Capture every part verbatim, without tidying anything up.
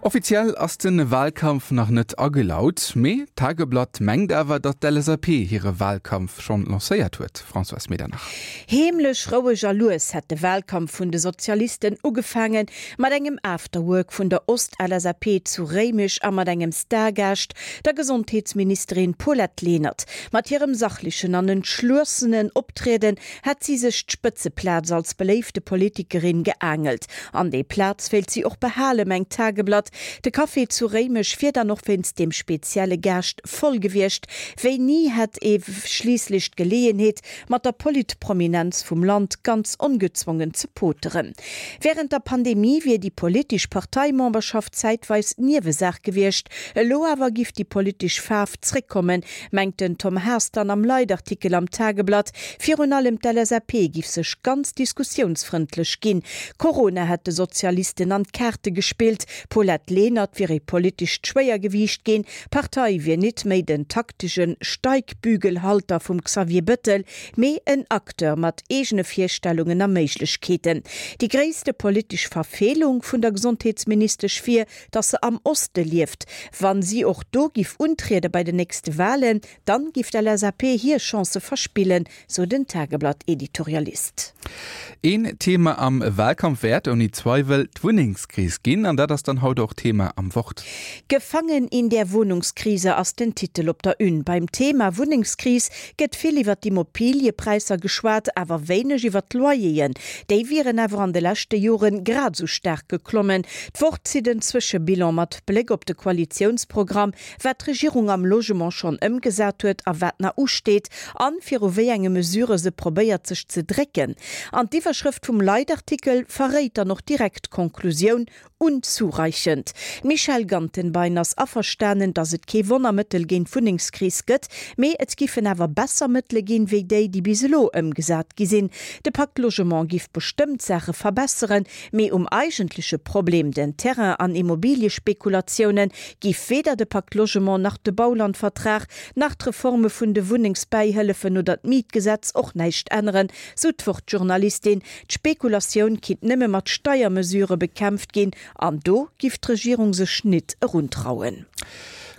Offiziell ass de Wahlkampf nach net agelaut, mee d'Tageblatt mengt awer, datt d'L S A P hire Wahlkampf schonn lancéiert huet. Françoise Medernach. Heemlech, roueg a lues hätt de Wahlkampf vun de Sozialisten ugefaangen, mat engem Afterwork vun der Ost-L S A P zu Réimech a mat engem Stargaascht, der Gesondheetsministerin Paulette Lenert. Mat hirem sachlechen an entschlossenen Optrieden hätt si sech d'Spëtzeplaz als beléifte Politikerin geaangelt. An déi Plaz wéilt si och behalen, mengt d'Tageblatt. De Café zu Réimech wier dann och wéinst dem spezielle Gaascht voll gewiescht. Wéi ni hätt ee schliisslech d'Geleeënheet, mat der Politprominenz vum Land ganz ongezwongen ze poteren. Wärend der Pandemie wier déi politesch Parteimemberschaft zäitweis Niewesaach gewiescht. Elo awer giff déi politesch Faarf zréckkommen, mengt den Tom Haas dann am Leitartikel am Tageblatt. Virun allem d'L S A P giff sech ganz diskussiounsfrëndlech ginn. Corona hätt de Sozialisten an d'Kaarte gespillt. D'Paulette Lenert wier e politescht Schwéiergewiicht ginn, d'Partei wier net méi den taktesche Steigbügelhalter vum Xavier Bettel, mee en Acteur mat eegene Virstellungen a Méiglechkeeten. Déi gréisste politesch Verfeelung vun der Gesondheetsministesch wier, datt se am Oste lieft. Wann si och do giff untriede bei den nächste Walen, dann giff d'L S A P hir Chancë verspillen, sou den Tageblatt-Editorialist. Een Thema am Wahlkampf wäert ouni Zweiwel d'Wunnengskris ginn, an dat ass dann haut och Thema am Wort. Gefangen in der Wohnungskrise ass den Titel op der Une. Beim Thema Wunnengskris gëtt vill iwwer d'Immobiliëpräisser geschwat, awer wéineg iwwer d'Loyeren. Déi wieren awer an de leschte Jore grad sou staark geklommen. D'Wort zitt en Zwëschebilan mat Bléck op de Koalitiounsprogramm, wat d'Regierung am Logement schonn ëmgesat huet a wat nach usteet, an viru wéi enge Mesurë se probéiert sech ze drécken. An d'Iwwerschrëft vum Leitartikel verréit dann och direkt d'Konklusioun: unzureichend. D'Michèle Gantenbein ass averstanen, datt et kee Wonnermëttel géint d'Wunnengskris gëtt, mee et giffen awer besser Mëttele ginn, wéi déi, déi bis elo ëmgesat gi sinn. De Pacte Logement giff bestëmmt Saache verbesseren, mee um eigentleche Problem, den Terrain an Immobiliespekulatiounen, giff weder de Pacte Logement nach de Baulandvertrag nach d'Reforme vun de Wunnengsbäihëllefen oder d'Mietgesetz och näischt änneren, sou d'Wort-Journalistin. D'Spekulatioun kinnt nëmme mat Steiermesurë bekämpft ginn, an do giff d'Regierung sech net eruntrauen.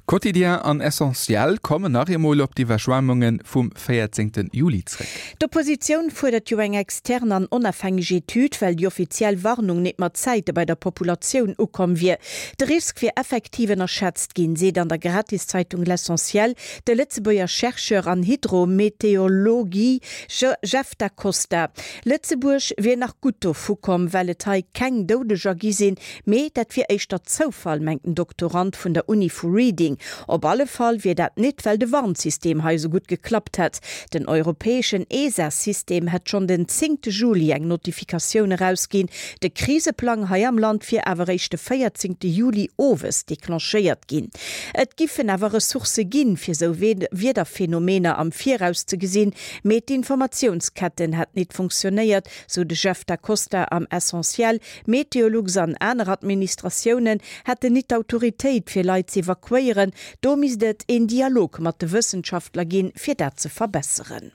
Quotidien an Essentiel kommen nach eemol op d'Iwwerschwemmunge vum véierzéngte Juli zréck. D'Oppositioun fuerdert jo eng extern an onofhängeg Etüd, well déi offiziell Warnung net mat Zäite bei der Populatioun ukomm wier. De Risk wier effektiv ënnerschätzt ginn, seet an der Gratiszeitung L'Essentiel de Lëtzebuerger Chercheur an Hydrometeorologie Jeff Da Costa. Lëtzebuerg wier nach gutt dovu komm, well et hei keng Doudeger gi sinn, mee dat wier éischter Zoufall, mengt den Doktorand vun der Uni vu Reading. Op alle Fall wier dat net, well de Warnsystem hei sou gutt geklappt hätt. Den europäeschen E S A-System hätt schonn den zéngte Juli eng Notifikatioun erausginn. De Kriseplang hei am Land wier awer eréischt de véierzéngte Juli owes declenchéiert ginn. Et giffen awer Ressourcë ginn, fir sou Wiederphenomener am Viraus ze gesinn, mee d'Informatiounsketten hätt net funktionéiert, sou de Jeff Da Costa am Essentiel. Meteolux an aner Administratiounen hätten net d'Autoritéit, fir Leit ze evakuéieren. Do misst et en Dialog mat de Wëssenschaftler ginn, fir dat ze verbesseren.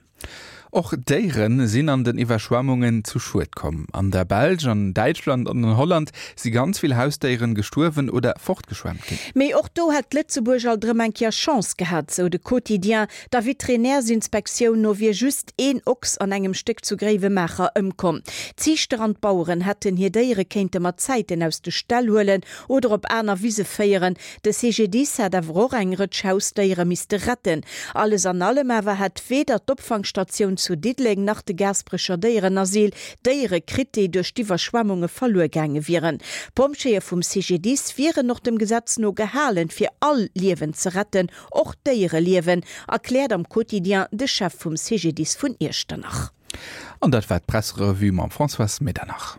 Och Déiere sinn an den Iwwerschwemmungen zu Schued komm. An der Belsch, an Däitschland an an Holland si ganz vill Hausdéiere gestuerwen oder fortgeschwemmt ginn. Mee och do hätt Lëtzebuerg alt erëm eng Kéier Chance gehat, sou de Quotidien. Der Veterinärsinspektioun no wier just een Ochs an engem Stéck zu Gréiwemaacher ëmkomm. D'Ziichter an d'Baueren hätten hir Déiere kéinte mat Zäiten aus de Ställ huelen oder op aner Wise féieren. De C G D I S hätt awer och eng Rëtsch Hausdéiere misste retten. Alles an allem awer hätt weder d'Opfangstatioun zu Diddeleng nach de Gaasperecher Déierenasyl Déiere kritt, déi duerch d'Iwwerschwemmunge verluer gaange wieren. D'Pompjeeë vum C G D I S wieren och dem Gesetz no gehalen, fir all Liewen ze retten, och Déiereliewen, erkläert am Quotidien de Chef vum C G D I S vun Iechternach. An dat war d'Presserevue mam Françoise Medernach.